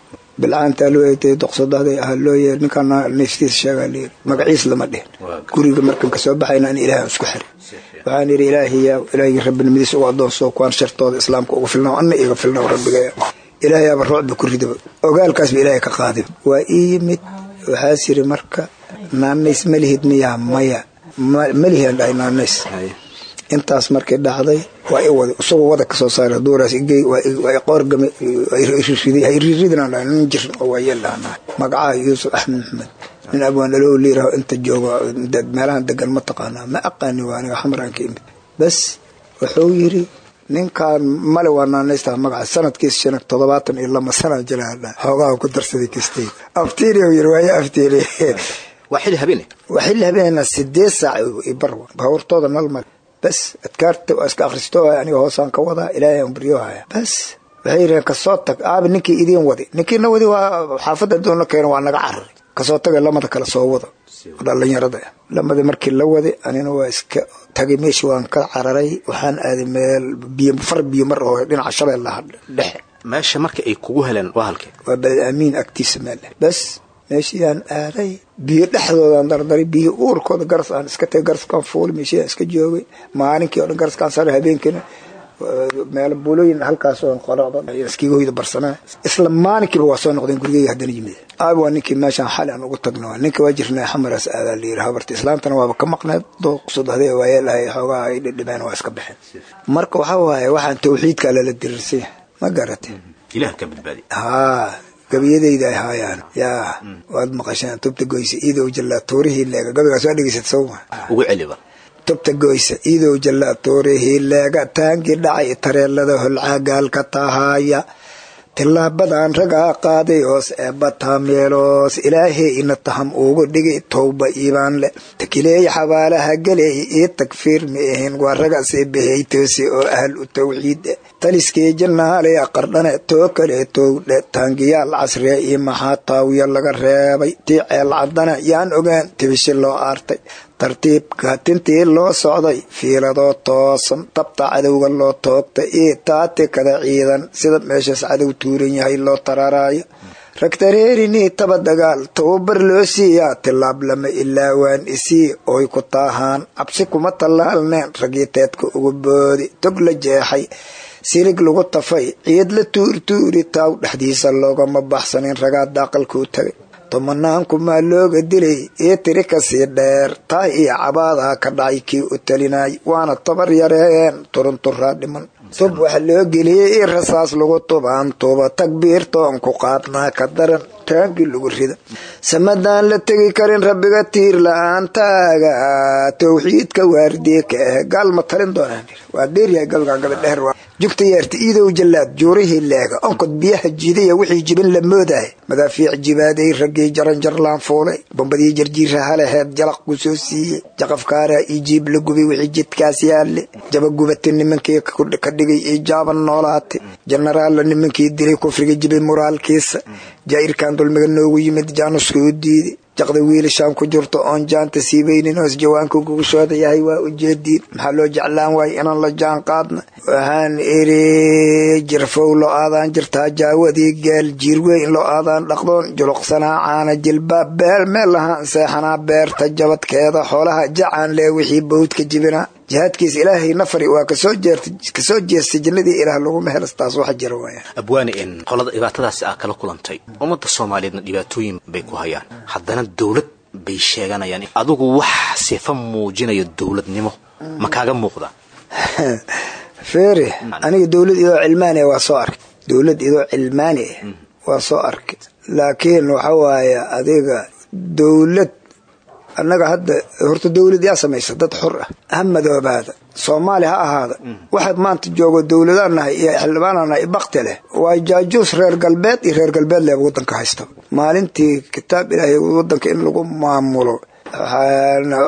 bilcaantaa loo eetay doqsadaday ah loo yeer ninkaan naystiisa sheegaa layiri, magaciis lama dhihin. Guriga markan kasoo baxayna an ilaahay isku xiray, waxaan yidhi ilaahiya ilaahigii rabbinimadiisa ugu adoonsoo kuwaan shartooda islaamka uga filnaa anna iga filnaa rabbigaya. Ilaahayaaba ruucba ku ridaba, ogaalkaasba ilaahay ka qaaday. Waa ii yimid, waxaas yiri marka naanays ma lihid miyaa? Maya, malihian dhahay naanays. Intaas markay dhacday waa i waday isagoo wada kasoo saaray duuraas igey, waa i qoorgamay, riday. Ha iriridinaan dhahay, nin jirin oo waa yeel dhahnaa. Magacaa Yuusuf Axmed Maxmed, nin abwaan dhalow liiraho inta joogo meelahan degan ma taqaanaa? Ma aqaani, waa aniga xamaraan ka imid. Bas wuxuu yiri ninkaan male waa naanaystaa magaca sanadkiis shan toddobaatan iyo lama sana jiraa xoogaha ku darsaday kastay aftiiri yiri waaye aftiiri. Waa xilli habeene? Waa xilli habeena, sideed saac iyo bar, baabuurtooda nal male. Bas adkaarta waa iska akhristo, aniga hoosaan ka wadaa, ilaahay aan baryo haya. Bas waxay yiraheen kasoo tag aabi ninkii idiin wadi, ninkiina wadi waa xaafadda doona keena, waa naga cararay. Kasoo tagay lamada kale soo wada dhalinyarada. Lamada markii la waday anina waa iska tagay meesha, waan ka cararay, waxaan aaday meel biyo far biyo mar oo dhinaca Shabeellaha Dhexe. Meesha marka ay kugu heleen waa halkee? Waa Beled Amiin agtiisa meel. Bas meeshiiyaan aaday, biyo dhexdoodaan dardaray, biyo uurkooda garas aan iska tagay, garaskaan fuulay, meeshiiyaan iska joogay maalinkii oo dhan, garaskaan saray, habeenkiina meel buulooyin halkaas oo qoracda iskiga hoyda barsanaa. Isla maalinkiiba waa soo noqdeen gurigeyga haddana yimid. Aabi waa ninkii meeshaan xali aan ugu tagno, ninka waa jirnay xamaraas aadaa la yiri. Habarta islaamtana waaba ka maqneed dooqsud hadee waayee lahay xoogaha ay dhidhibeen waa iska baxeen. Marka waxaa waaye waxaan tawxiidka lala diriirsay, ma garatay? Ilaah ka badbaadi. Haa, gabiyadayda ay haayaan yaa waad maqasheen tubta goysa iidow jallaa tuurihii leega. Gabigaas waa dhegeysat sawma? Ugu celiba. Tubta goysa iidow jallaa tuurihii leega, taangii dhacay tareelada holcaagaalka tahaaya, tilaabadan ragaa qaaday hoos eebba taameeloos, ilaahay ina taham ugu dhigay towba iibaan leh, takileey xabaalaha galeey ii tagfiir ma ahin, waa raga sii bixiyey toosi oo ahl u tawxiid, taliskii jannaaley qardhane too kale towdhe, taangiyaal casriya iyo maxaa taawiya laga reebay, tii ceel caddana yaan ogaan tibishi loo aartay, tartiibka tintii loo socday fiiladoo toosan, tabta cadowga loo toogtay iyo taatikada ciidan sida meeshaas cadow tuuran yahay loo tararaayo, ragtareerinii taba dagaal tababar loo siiyaa, tilaab lama ilaa waan isii oy ku taahaan, cabsi kuma tallaalneen raggii teedka uga boodi, tog la jeexay silig lagu tafay ciid la tuurtuuri taaw dhexdiisa loogama baxsanin, ragaa daaqalkuu tagay tomanaankumaa looga dilay io tiri kasii dheer, taa iyo cabaadaa ka dhacay kii u talinay, waana tabar yareen turunturaa dhiman, tub waxa loo geliyey io rasaas lagu tubaan tuba, takbiirtoon ku qaadnaa ka daran taangii lagu rida, samadaan la tegi karin rabbiga tiir la-aantaaga, tawxiidka waardiye ka ah gaal ma talin doonaan. Waa dheeryahay gabigan, gabi dheer. Jugta yeerta iidow jallaad juurihii leega, onkod biyaha jiidaya wixii jibin la moodahay, madaafiic jibaaday raggii jaranjarlaan fuulay, bombadii jarjiira halaheed jalaq ku soo siiyey, jaqafkaaraa ii jiib la gubay wixii jidkaas yaalle, jabagubata nimankii ka dhigay ii jaaban noolaatay, jenaraalla nimankii dilay kufriga jibay muraalkiisa, jaa'irkan dulmiga noogu yimid jaanuska u diiday, jaqda wiilashaan ku jirto oon jaanta siibaynin hoos jawaanka gugashooda yahay waa ujeediin, maxaa loo jeclaan waayo inaan la jaan qaadna. Waxaan iri jirfow loo aadaan jirtaa jaawadii geel, jiirweyn loo aadaan dhaqdoon juluqsanaa caana jilbaab, beel meel lahaan seexanaa beerta jabadkeeda, xoolaha jacaan lee wixii bawdka jibinaa, jihaadkiisa ilaahay nafari waa kasoo jeertay kasoo jeestay jannadii ilaah laguma helastaas wax jira waaya. Abwaani, in qolada dhibaatadaasi aa kala kulantay, ummadda Soomaaliyeedna dhibaatooyin bay ku hayaan, haddana dawlad bay sheeganayaan, adigu wax sifa muujinayo dawladnimo ma kaaga muuqda? Feere, aniga dowlad idoo cilmaani waa soo arkay, dowlad idoo cilmaani waa soo arkay, laakiin waxa waaye adiga dowlad annaga hadda horta dowlad yaa samaysa dad xor ah, ha madoobaada Soomaali ha ahaada, waxaad maanta joogo dowladaan nahay iyo xildhibaanaan nahay bakti leh waa jaajuus reer galbeed iyo reer galbeed leh waddanka haysta. Maalintii kitaab ilaahay waddanka in lagu maamulo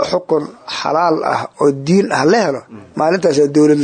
xukun xalaal ah oo diin ah la helo, maalintaasaa dowlad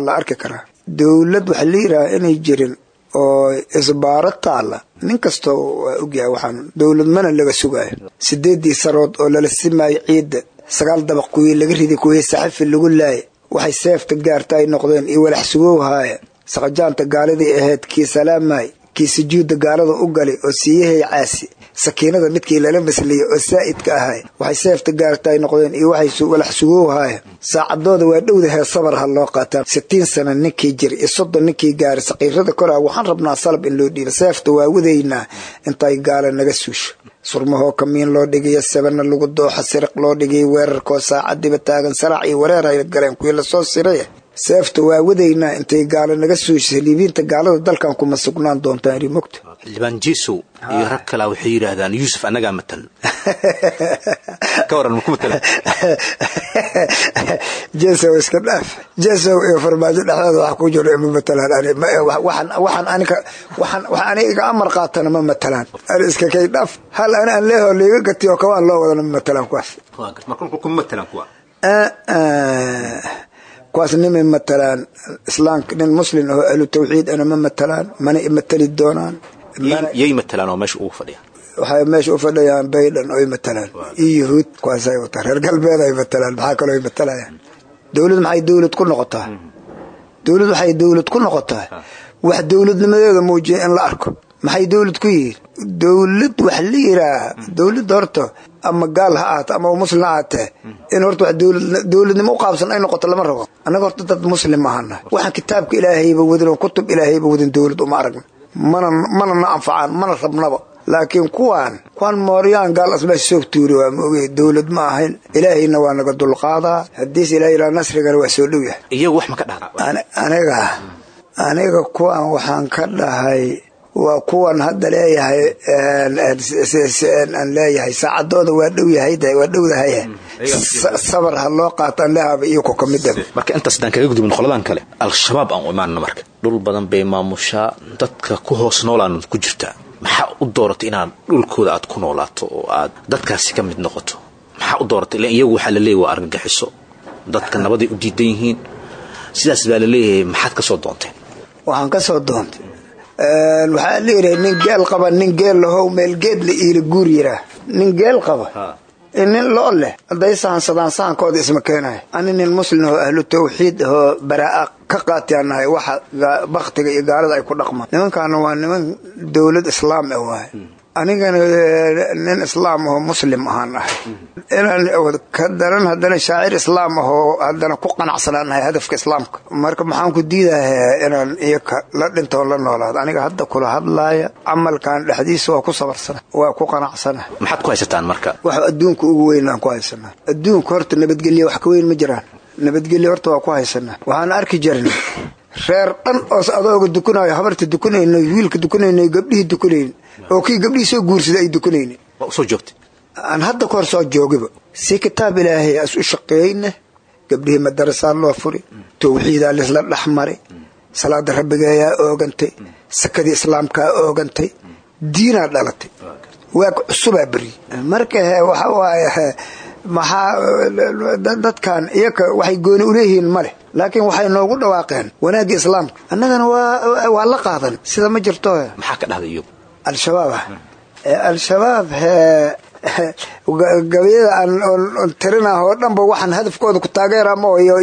la arki karaa. Dowlad waxa la yidhaha inay jirin oo isbaaro taalla nin kastoo waa ogyahay, waxaan dowlad mana laga sugaayo. Sideedii sarood oo lala simaayo ciidda, sagaal dabaq kuwii laga riday, kuwii saxafi lagu laayay, waxay seefta gaarta ay noqdeen iyo walax sugowhaaya. Saqajaanta gaaladii ahayd kii salaamay, kii sujuudda gaalada u galay oo siiyahay caasi, sakiinada midkii lala masliyey oo saa'idka ahay, waxay seefta gaarta ay noqdeen iyo waxay walax sugowhaaya. Saacadooda waa dhowdahay, sabar ha loo qaataa. Sitiin sano ninkii jir iyo soddon ninkii gaaray saqiirada koraa, waxaan rabnaa salab in loo dhiibo. Seefta waa wadaynaa intay gaala naga suusho. Surmahoo kamiin loo dhigayo, sabana lagu dooxa, siriq loo dhigay, weerarkoo saacadiba taagan, saraac iyo wareer ay galeen kuwii lasoo siray. Seefta waa wadaynaa intay gaala naga suushay. Liibiinta gaalada dalkan kuma sugnaan doontaan iri mogta. Xildhibaan Jesow iyo rag kalaa waxay yidhaahdaan Yuusuf annagaa matal, ka waran maku matala? Jesow iska dhaaf, Jesow iyo farmaajo dhexdooda wax ku jiro ima matalaan. Ani waxaan waxaan aniga waxaan wax aniga iga amar qaatana ma matalaan. Ani iska kay dhaaf, hal ani aan leeho liiga gatiyo kawaan loo wadana ma matalaan kuwaas. Marka kuma matalaan kuwa kuwaas nimay matalaan islaamka, nin muslim oo ahlu tawxiid ana ma matalaan, mana imatali doonaan. Yay matalaan oo meesha ugu fadhiyaan? Waxay meesha u fadhiyaan Bayden oy matalaan iyo yuhuud, kuwaasay wataan, reer galbeed ay matalaan. Maxaa kaloo ay matalayaan? Dowlad maxay dowlad ku noqotaa? Dowlad waxay dowlad ku noqotaa wax dowladnimadeeda muujiya in la arko. Maxay dowlad ku yihiin? Dowlad wax la yidhaaha dowladda horta ama gaal ha ahaato ama muslim ha ahaatee, in horta wax dowladnimo u qaabsan ay noqoto lama rabo. Annaga horta dad muslim ahana, waxaan kitaabka ilaahayba wadin oo kutub ilaahayba wadin dowlad uma aragna, mana mana na anfacaan, mana rabnaba. Laakiin kuwaan kuwaan mooryaan gaal asmeesha soo tuuri waa ma ogey, dowlad ma ahayn. Ilaahayna waa naga dulqaadaa, haddiise ilahay ilaa nasrigana waa soo dhow yahay. Iyagu wax ma ka dhaha? Aniga aniga kuwaan waxaan ka dhahay waa kuwan hadda leeyahay aan leeyahay saacadooda waa dhow yahay, waa dhowdahay, sabar ha loo qaataan leehaba iyo ku kamid ah. Marka intaas haddaan kaga gudubin qoladan kale, Al-Shabaab aan u imaanno. Marka dhul badan bay maamushaa, dadka ku hoos noolaan ku jirtaa. Maxaa u dooratay inaad dhulkooda aad ku noolaato oo aad dadkaasi ka mid noqoto? Maxaa u dooratay? Ilan iyagu waxaa la leeyahy waa argagixiso, dadka nabaday u diidan yihiin, sidaas baa la leeyahay. Maxaad ka soo doonteen? Waxaan ka soo doontay waxaa la yidhaha nin geel qaba, nin geel lahow meel geed la iila guur yiraa. Nin geel qaba nin loo leh hadday sahansadaan sahankooda isma keenayo. Ani nin muslim oo ahlu tawxiid ahoo baraa'a ka qaatiyaan nahay waxa baktiga iyo gaalada ay ku dhaqmaan. Nimankaana waa niman dowlad islaam ah waaye, anigana nin islaam ahoo muslim ahaan ahay, inaan ka daran haddana shaacir islaam ahoo haddana ku qanacsanaan nahay hadafka islaamka. Marka maxaan ku diidayaa inaan iyaka la dhintoon la noolaado? Aniga hadda kula hadlaaya camalkan dhexdiisa waa ku sabarsana, waa ku qanacsana. Maxaad ku haysataan marka? Waxa adduunka ugu weyn aan ku haysanaa adduunka horta nabadgelye, wax ka weyn ma jiraan. Nabadgelye horta waa ku haysanaa. Waxaan arki jirin reer dhan oos adooga dukunaayo, habarta dukunayno, wiilka dukunayno, gabdhihii dukunayn, oo kii gabdhihii soo guursaday ay dukunaynin. Waa usoo joogtay? Aan hadda ka hor soo joogiba si kitaab ilaahay as u shaqeeyna, gabdhihii madarasaa loo furi, tawxiidaa laisla dhexmari, salaada rabbigeeyaa oogantay, sakadii islaamkaa oogantay, diinaa dhalatay, waag cusubaa beriyey. Marka waxa waaye maxaa dadkan iyaka waxay gooni uleeyihiin ma leh, laakiin waxay noogu dhawaaqeen wanaagga islaamka, annagana waa waa la qaadan. Sida ma jirto. Maxaa ka dhahday iyagu? Al-Shabaab ah, Al-Shabaab gabayada aan tirinah oo dhanba waxaan hadafkooda ku taageera ma iyo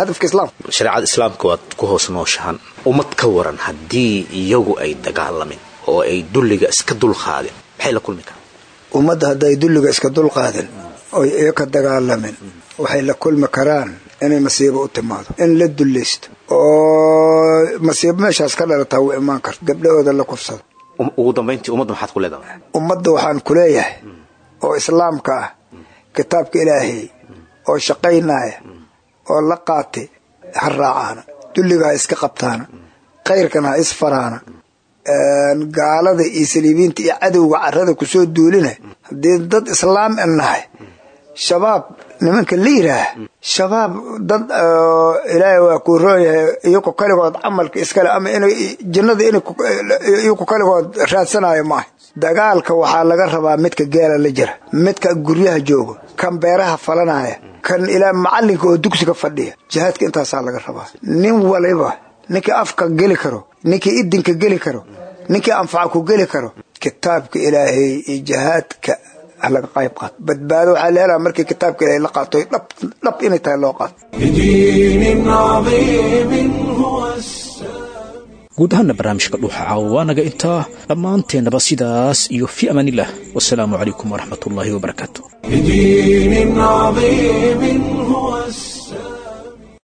hadafka islaamka. Shareecada islaamka waad ku hoos nooshahan. Ummad ka waran haddii iyagu ay dagaalamin oo ay dulliga iska dulqaadin, maxay la kulmi karaan? Ummadda hadday dulliga iska dulqaadin oy iyaka dagaalamin, waxay la kulmi karaan inay masiibo u timaado, in la dullaysto oo masiibo meeshaas ka dhalataa wuu imaan karta, gabdhahooda la kufsado. Ugu dambayntii ummadda maxaad ku leedahay? Ummadda waxaan ku leeyahay oo islaamka ah, kitaabka ilaahay oo shaqaynaya oo la qaatay ha raacaana. Dulliga ha iska qabtaana, khayrkana ha isfaraana. Gaalada iyo saliibiinta iyo cadowga carada kusoo duulina, haddii dad islaam nahay, shabaab nimanka la yidhaah, shabaab dad ilaahay waa kuu roon yahay, iyaku kaligood camalka iskale ama in jinnada in iyaku kaligood raadsanayo maaha. Dagaalka waxaa laga rabaa midka geela la jira, midka guryaha joogo, kan beeraha falanaya, kan ilaa macalinka oo dugsiga fadhiya. Jihaadka intaasaa laga rabaa. Nin waliba, ninkii afka geli karo, ninkii idinka geli karo, ninkii anfaca ku geli karo, kitaabka ilaahay iyo jihaadka laga qayb qaato. Badbaado waxaa la helaa markii kitaabka ilaahay la qaato, dhab dhab inay tahay loo qaato. لدين عظيم هو السلام. Guud ahaana barnaamijka Dhuuxa Caawa waa naga intaa dhammaanteennaba. Sidaas iyo fi amaanillah, wasalaamu calaykum waraxmatullaahi wabarakaatu. لدين عظيم